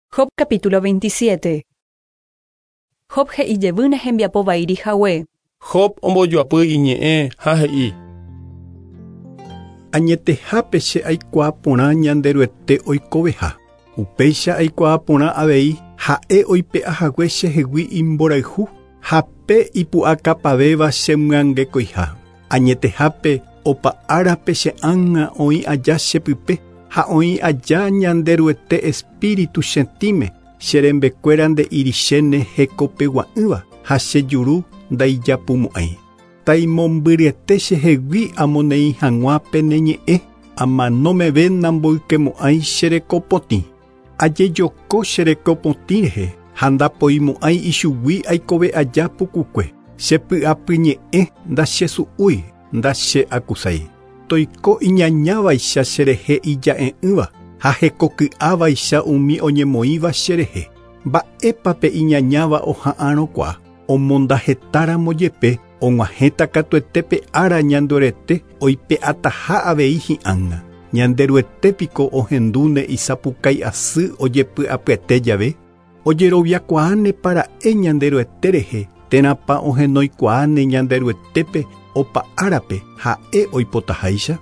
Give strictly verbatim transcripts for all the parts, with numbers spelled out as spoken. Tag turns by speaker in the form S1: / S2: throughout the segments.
S1: Job capítulo veintisiete. Job he'i jevýne hembiapo vaíri hague.
S2: Job ombojoapy iñe'ẽ ha he'i.
S3: Añetehápe che aikuaa porã Ñanderuete oikoveha. Upéicha aikuaa porã avei ha'e oipe'ahague chehegui imborayhu ha pe ipu'akapavéva chemyangekoiha. Añetehápe opa árape che ág̃a oĩ aja chepype ha oĩ aja Ñanderuete espíritu chetĩme che rembekuéra nde'irichéne hekopegua'ỹva ha che juru ndaijapumo'ãi. Taimombyryete chehegui amoneĩ hag̃ua pene ñe'ẽ amanómeve namboykemo'ãi che rekopotĩ. Ajejoko che rekopotĩ rehe ha ndapoimo'ãi ichugui aikove aja pukukue. Chepy'apyñe'ẽ ndachesu'úi ndache'akusái. Toiko iñañávaicha cherehe ija'e'ỹva ha hekoky'ávaicha umi oñemoĩva cherehe. Mba'épape iñañáva oha'arõkuaa omondahetáramo jepe og̃uahẽta katuete ára Ñanderuete oipe'ataha avei hi'ág̃a. Ñanderuete piko ohendúne isapukái asy ojepy'apyete jave. Ojeroviakuaáne para'e Ñanderuete rehe térãpa ohenoikuaáne Ñanderuetépe opa árape ha'e oipotaháicha.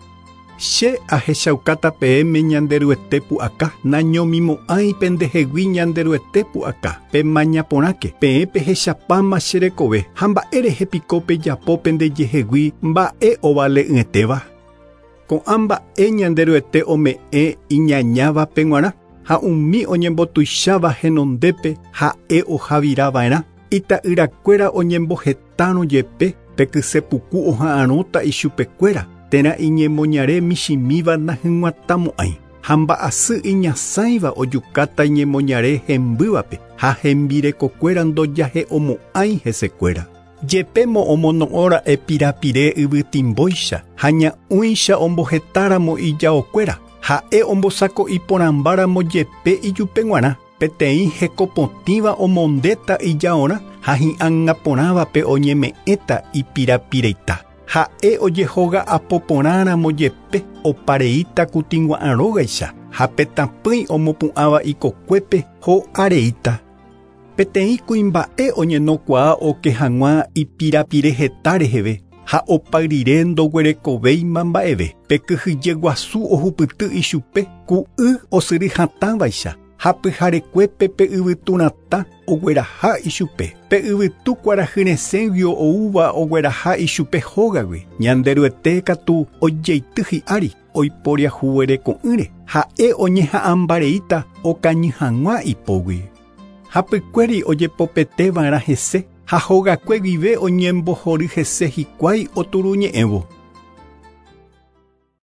S3: Che ahechaukáta peẽme Ñanderuete pu'aka nañomimo'ãi pendehegui Ñanderuete pu'aka pemaña porãke peẽ pehechapáma che rekove ha mba'e rehe piko pejapo pendejehegui mba'e ovale'ỹetéva. Ko'ã mba'e Ñanderuete ome'ẽ iñañávape g̃uarã ha umi oñembotuicháva henondépe ha'e ohavirava'erã. Ita'yrakuéra oñembohetárõ jepe pekysepuku oha'arõta ichupekuéra térã iñemoñare michĩmíva nahyg̃uatãmo'ãi ha mba'asy iñasãiva ojukáta iñemoñare hembývape ha hembirekokuéra ndojahe'omo'ãi hesekuéra. Jepémo omono'õra'e pirapire yvytimbóicha ha ña'ũicha ombohetáramo ijaokuéra ha'e ombosako'i porãmbáramo jepe ijupe g̃uarã peteĩ hekopotĩva omondéta ijaorã ha hi'ág̃a porãvape oñeme'ẽta ipirapireita. Ha'e ojehoga'apo porãramo jepe opareíta kutingua'ãrógaicha ha petapỹi omopu'ãva ikokuépe ho'areíta. Peteĩ kuimba'e oñenokuaa oke hag̃ua ipirapire heta reheve ha opa rire ndoguerekovéima mba'eve. Pekyhyje guasu ohupyty ichupe ku y osyry hatãvaicha ha pyharekuépe pe yvyturatã ogueraha ichupe. Pe yvytu kuarahyresẽguio oúva ogueraha ichupe hógagui. Ñanderuete katu ojeity hi'ári oiporiahuvereko'ỹre ha'e oñeha'ãmbareíta okañy hag̃ua ipógui. Hapykuéri ojepopeteva'erã hese ha hogakue guive oñembohory hese hikuái oturuñe'ẽvo.